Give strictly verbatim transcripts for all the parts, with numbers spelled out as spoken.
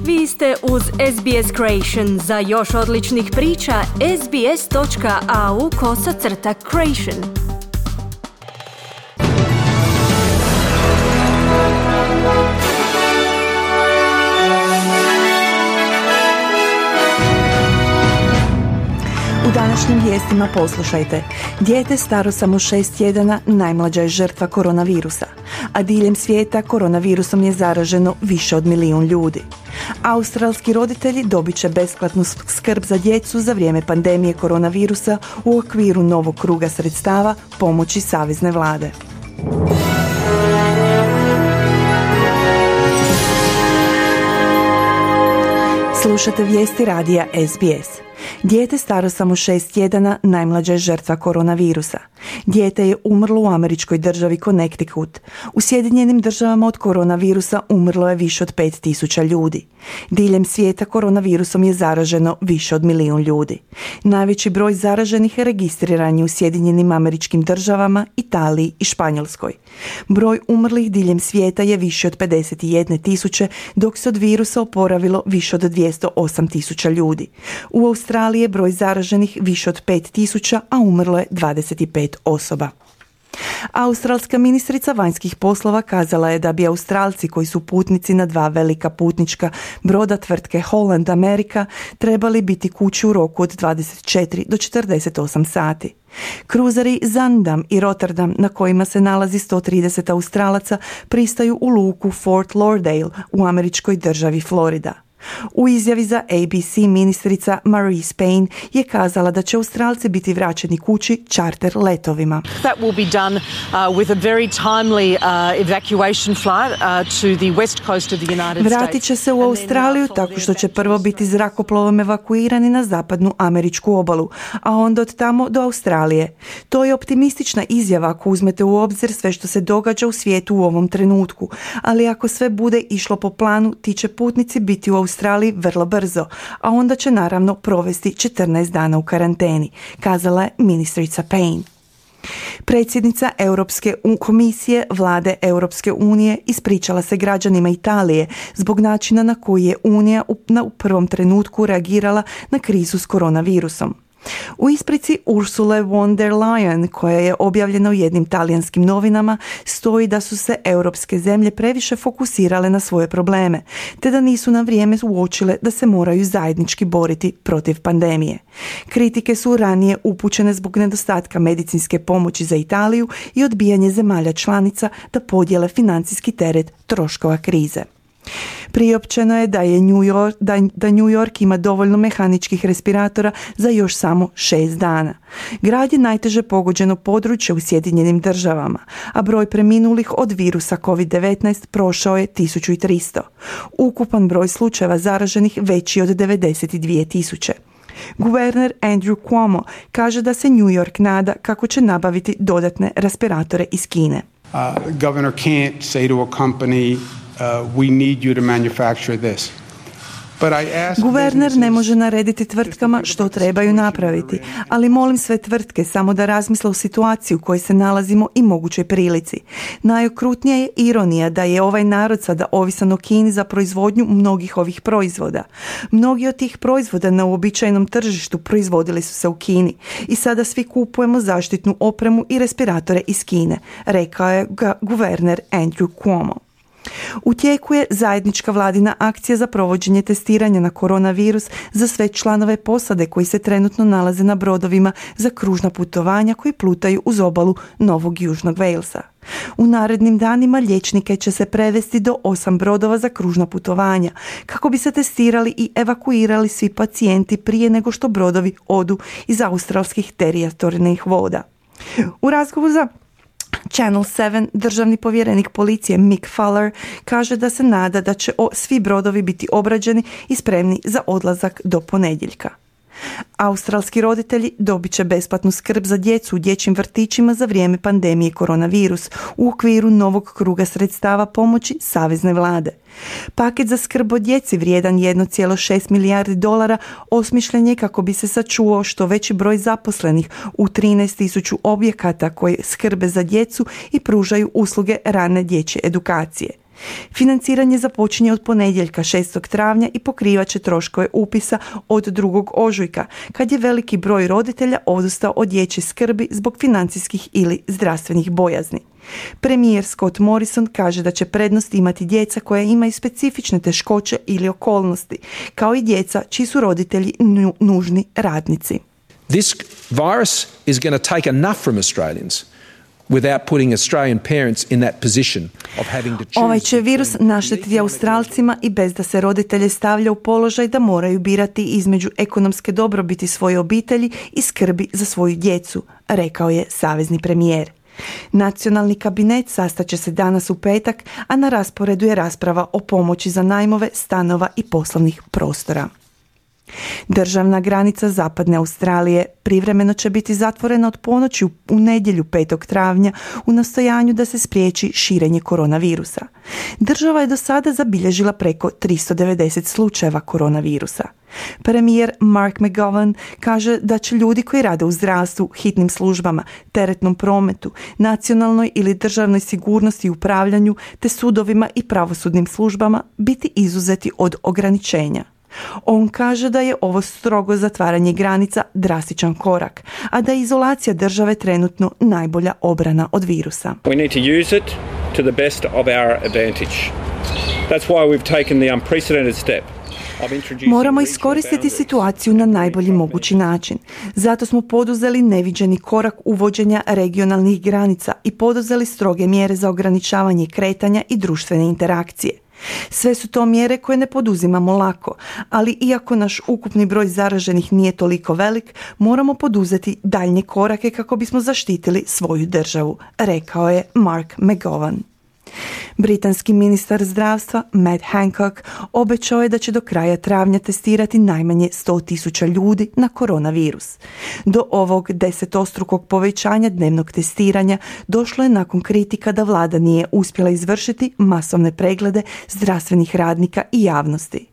Vi ste uz S B S Creation. Za još odličnih priča, sbs.au kosacrta creation. U današnjim vijestima poslušajte. Dijete staro samo šest tjedana najmlađa je žrtva koronavirusa, a diljem svijeta koronavirusom je zaraženo više od milijun ljudi. Australski roditelji dobit će besplatnu skrb za djecu za vrijeme pandemije koronavirusa u okviru novog kruga sredstava pomoći savezne vlade. Slušate vijesti radija S B S. Dijete staro samo šest tjedana najmlađa je žrtva koronavirusa. Dijete je umrlo u američkoj državi Connecticut. U Sjedinjenim državama od koronavirusa umrlo je više od pet tisuća ljudi. Diljem svijeta koronavirusom je zaraženo više od milijun ljudi. Najveći broj zaraženih registriran je u Sjedinjenim američkim državama, Italiji i Španjolskoj. Broj umrlih diljem svijeta je više od pedeset jedne tisuće, dok se od virusa oporavilo više od dvjesto osam tisuća ljudi. U Australiji je broj zaraženih više od pet tisuća, a umrlo je dvadeset pet osoba. Australska ministrica vanjskih poslova kazala je da bi Australci koji su putnici na dva velika putnička broda tvrtke Holland America trebali biti kući u roku od dvadeset četiri do četrdeset osam sati. Kruzeri Zaandam i Rotterdam, na kojima se nalazi sto trideset Australaca, pristaju u luku Fort Lauderdale u američkoj državi Florida. U izjavi za A B C ministrica Marise Payne je kazala da će Australci biti vraćeni kući čarter letovima. That will be done uh, with a very timely uh, evacuation flight uh, to the west coast of the United States. Vratit će se u Australiju tako što će prvo biti zrakoplovom evakuirani na zapadnu američku obalu, a onda od tamo do Australije. To je optimistična izjava ako uzmete u obzir sve što se događa u svijetu u ovom trenutku, ali ako sve bude išlo po planu, ti će putnici biti u Australiji Australiji vrlo brzo, a onda će naravno provesti četrnaest dana u karanteni, kazala je ministrica Payne. Predsjednica Europske komisije vlade Europske unije ispričala se građanima Italije zbog načina na koji je Unija u prvom trenutku reagirala na krizu s koronavirusom. U isprici Ursule von der Leyen, koja je objavljena u jednim talijanskim novinama, stoji da su se europske zemlje previše fokusirale na svoje probleme, te da nisu na vrijeme uočile da se moraju zajednički boriti protiv pandemije. Kritike su ranije upućene zbog nedostatka medicinske pomoći za Italiju i odbijanje zemalja članica da podijele financijski teret troškova krize. Priopćeno je da, je New York, da, da New York ima dovoljno mehaničkih respiratora za još samo šest dana. Grad je najteže pogođeno područje u Sjedinjenim državama, a broj preminulih od virusa covid devetnaest prošao je tisuću tristo. Ukupan broj slučajeva zaraženih veći od devedeset dvije tisuće. Guverner Andrew Cuomo kaže da se New York nada kako će nabaviti dodatne respiratore iz Kine. Uh, the governor can't say to a company, Uh, we need you to manufacture this. Guverner ne može narediti tvrtkama što trebaju napraviti, ali molim sve tvrtke samo da razmisle o situaciji u kojoj se nalazimo i mogućoj prilici. Najokrutnija je ironija da je ovaj narod sada ovisan o Kini za proizvodnju mnogih ovih proizvoda. Mnogi od tih proizvoda na uobičajenom tržištu proizvodili su se u Kini i sada svi kupujemo zaštitnu opremu i respiratore iz Kine, rekao je guverner Andrew Cuomo. U tijeku je zajednička vladina akcija za provođenje testiranja na koronavirus za sve članove posade koji se trenutno nalaze na brodovima za kružna putovanja koji plutaju uz obalu Novog Južnog Walesa. U narednim danima liječnike će se prevesti do osam brodova za kružna putovanja kako bi se testirali i evakuirali svi pacijenti prije nego što brodovi odu iz australskih teritorijalnih voda. U razgovoru za Channel sedam državni povjerenik policije Mick Fuller kaže da se nada da će svi brodovi biti obrađeni i spremni za odlazak do ponedjeljka. Australski roditelji dobit će besplatnu skrb za djecu u dječjim vrtićima za vrijeme pandemije koronavirus u okviru novog kruga sredstava pomoći savezne vlade. Paket za skrb o djeci vrijedan jedan zarez šest milijardi dolara osmišljen je kako bi se sačuvao što veći broj zaposlenih u trinaest tisuća objekata koji skrbe za djecu i pružaju usluge rane dječje edukacije. Financiranje započinje od ponedjeljka šestog travnja i pokrivat će troškove upisa od drugog ožujka, kad je veliki broj roditelja odustao od dječje skrbi zbog financijskih ili zdravstvenih bojazni. Premijer Scott Morrison kaže da će prednost imati djeca koja imaju specifične teškoće ili okolnosti, kao i djeca čiji su roditelji nu- nužni radnici. This virus is going to take enough from Australians without putting Australian parents in that position of having to choose. Ovaj će virus naštetiti Australcima i bez da se roditelje stavlja u položaj da moraju birati između ekonomske dobrobiti svoje obitelji i skrbi za svoju djecu, rekao je savezni premijer. Nacionalni kabinet sastaće se danas u petak, a na rasporedu je rasprava o pomoći za najmove stanova i poslovnih prostora. Državna granica zapadne Australije privremeno će biti zatvorena od ponoći u nedjelju petog travnja u nastojanju da se spriječi širenje koronavirusa. Država je do sada zabilježila preko tristo devedeset slučajeva koronavirusa. Premijer Mark McGowan kaže da će ljudi koji rade u zdravstvu, hitnim službama, teretnom prometu, nacionalnoj ili državnoj sigurnosti i upravljanju te sudovima i pravosudnim službama biti izuzeti od ograničenja. On kaže da je ovo strogo zatvaranje granica drastičan korak, a da je izolacija države trenutno najbolja obrana od virusa. We need to use it to the best of our advantage. That's why we've taken the unprecedented step. Moramo iskoristiti situaciju na najbolji mogući način. Zato smo poduzeli neviđeni korak uvođenja regionalnih granica i poduzeli stroge mjere za ograničavanje kretanja i društvene interakcije. Sve su to mjere koje ne poduzimamo lako, ali iako naš ukupni broj zaraženih nije toliko velik, moramo poduzeti daljnje korake kako bismo zaštitili svoju državu, rekao je Mark McGowan. Britanski ministar zdravstva Matt Hancock obećao je da će do kraja travnja testirati najmanje sto tisuća ljudi na koronavirus. Do ovog desetostrukog povećanja dnevnog testiranja došlo je nakon kritika da vlada nije uspjela izvršiti masovne preglede zdravstvenih radnika i javnosti.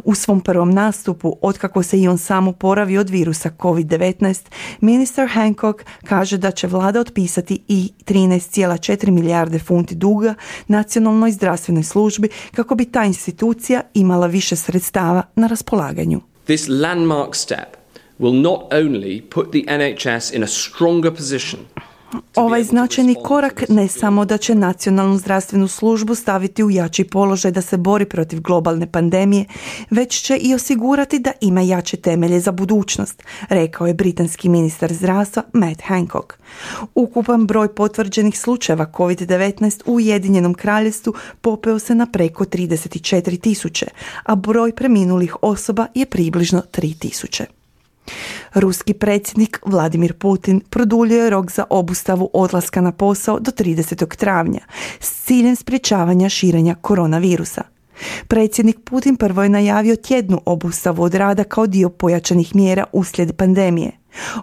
U svom prvom nastupu, otkako se i on sam oporavio od virusa kovid devetnaest, ministar Hancock kaže da će vlada otpisati i trinaest zarez četiri milijarde funti duga nacionalnoj zdravstvenoj službi kako bi ta institucija imala više sredstava na raspolaganju. This landmark step will not only put the N H S in a stronger position. Ovaj značajni korak ne samo da će nacionalnu zdravstvenu službu staviti u jači položaj da se bori protiv globalne pandemije, već će i osigurati da ima jače temelje za budućnost, rekao je britanski ministar zdravstva Matt Hancock. Ukupan broj potvrđenih slučajeva kovid devetnaest u Ujedinjenom Kraljevstvu popeo se na preko trideset četiri tisuće, a broj preminulih osoba je približno tri tisuće. Ruski predsjednik Vladimir Putin produljio je rok za obustavu odlaska na posao do tridesetog travnja s ciljem sprječavanja širenja koronavirusa. Predsjednik Putin prvo je najavio tjednu obustavu od rada kao dio pojačanih mjera uslijed pandemije.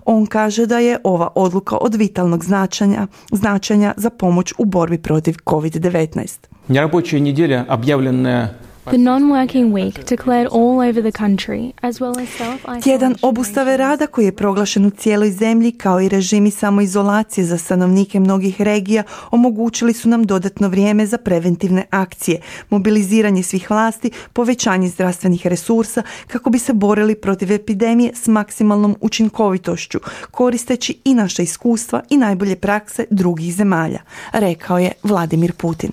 On kaže da je ova odluka od vitalnog značenja, značenja za pomoć u borbi protiv kovid devetnaest. Нерабочая неделя, объявленная The non-working week declared all over the country, as well as self-isolation. Tjedan obustave rada koji je proglašen u cijeloj zemlji kao i režimi samoizolacije za stanovnike mnogih regija omogućili su nam dodatno vrijeme za preventivne akcije, mobiliziranje svih vlasti, povećanje zdravstvenih resursa kako bi se borili protiv epidemije s maksimalnom učinkovitošću, koristeći i naša iskustva i najbolje prakse drugih zemalja, rekao je Vladimir Putin.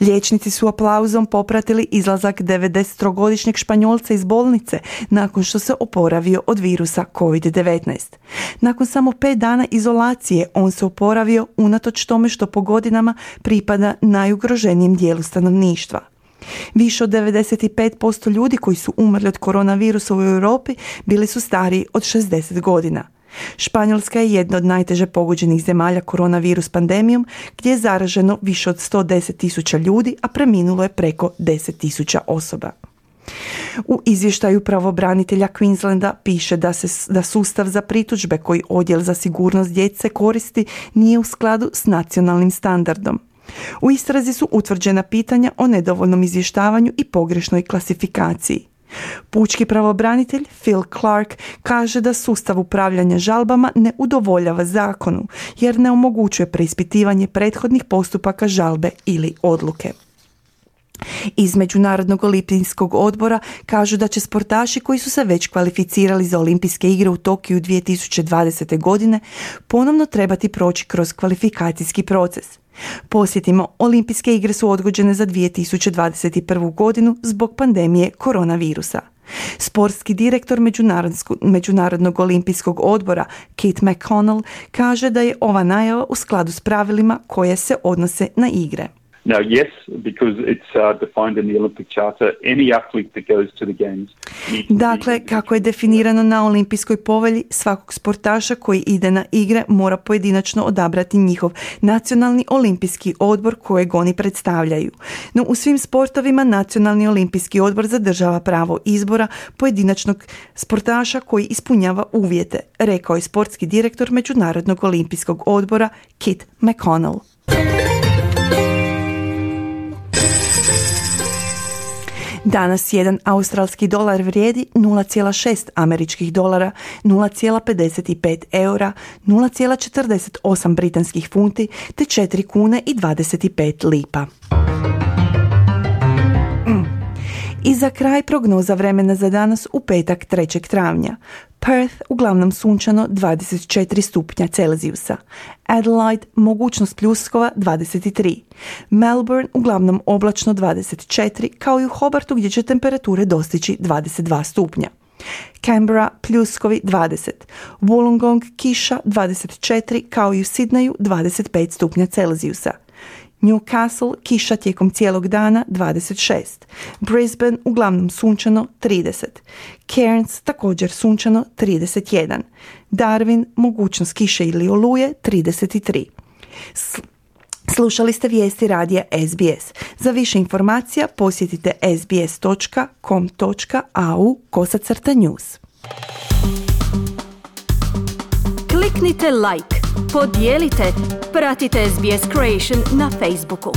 Liječnici su aplauzom popratili izlazak devedesettrogodišnjeg Španjolca iz bolnice nakon što se oporavio od virusa kovid devetnaest. Nakon samo pet dana izolacije on se oporavio unatoč tome što po godinama pripada najugroženijem dijelu stanovništva. Više od devedeset pet posto ljudi koji su umrli od koronavirusa u Europi bili su stariji od šezdeset godina. Španjolska je jedna od najteže pogođenih zemalja koronavirus pandemijom, gdje je zaraženo više od sto deset tisuća ljudi, a preminulo je preko deset tisuća osoba. U izvještaju pravobranitelja Queenslanda piše da se da sustav za pritužbe koji Odjel za sigurnost djece koristi nije u skladu s nacionalnim standardom. U istrazi su utvrđena pitanja o nedovoljnom izvještavanju i pogrešnoj klasifikaciji. Pučki pravobranitelj Phil Clark kaže da sustav upravljanja žalbama ne udovoljava zakonu jer ne omogućuje preispitivanje prethodnih postupaka žalbe ili odluke. Iz Međunarodnog olimpijskog odbora kažu da će sportaši koji su se već kvalificirali za olimpijske igre u Tokiju dvije tisuće dvadesete. godine ponovno trebati proći kroz kvalifikacijski proces. Posjetimo, olimpijske igre su odgođene za dvije tisuće dvadeset prvu. godinu zbog pandemije koronavirusa. Sportski direktor Međunarodnog olimpijskog odbora Kit McConnell kaže da je ova najava u skladu s pravilima koje se odnose na igre. Now, yes, because it's uh, defined in the Olympic Charter, any athlete that goes to the games needs to Dakle, kako je definirano na olimpijskoj povelji, svakog sportaša koji ide na igre mora pojedinačno odabrati njihov nacionalni olimpijski odbor kojeg oni predstavljaju. No u svim sportovima nacionalni olimpijski odbor zadržava pravo izbora pojedinačnog sportaša koji ispunjava uvjete, rekao je sportski direktor Međunarodnog olimpijskog odbora Kit McConnell. Danas jedan australski dolar vrijedi nula zarez šest američkih dolara, nula zarez pedeset pet eura, nula zarez četrdeset osam britanskih funti te četiri kune i dvadeset pet lipa. I za kraj prognoza vremena za danas u petak trećeg travnja. Perth uglavnom sunčano dvadeset četiri stupnja Celzijusa. Adelaide mogućnost pljuskova dvadeset tri. Melbourne uglavnom oblačno dvadeset četiri, kao i u Hobartu gdje će temperature dostići dvadeset dva stupnja. Canberra pljuskovi dvadeset. Wollongong kiša dvadeset četiri, kao i u Sidneju dvadeset pet stupnja Celzijusa. Newcastle kiša tijekom cijelog dana dvadeset šest. Brisbane uglavnom sunčano trideset. Cairns također sunčano trideset jedan. Darwin mogućnost kiše ili oluje trideset tri. Slušali ste vijesti radija S B S. Za više informacija posjetite sbs dot com dot a u kosacrta news. Kliknite like, podijelite, pratite S B S Creation na Facebooku.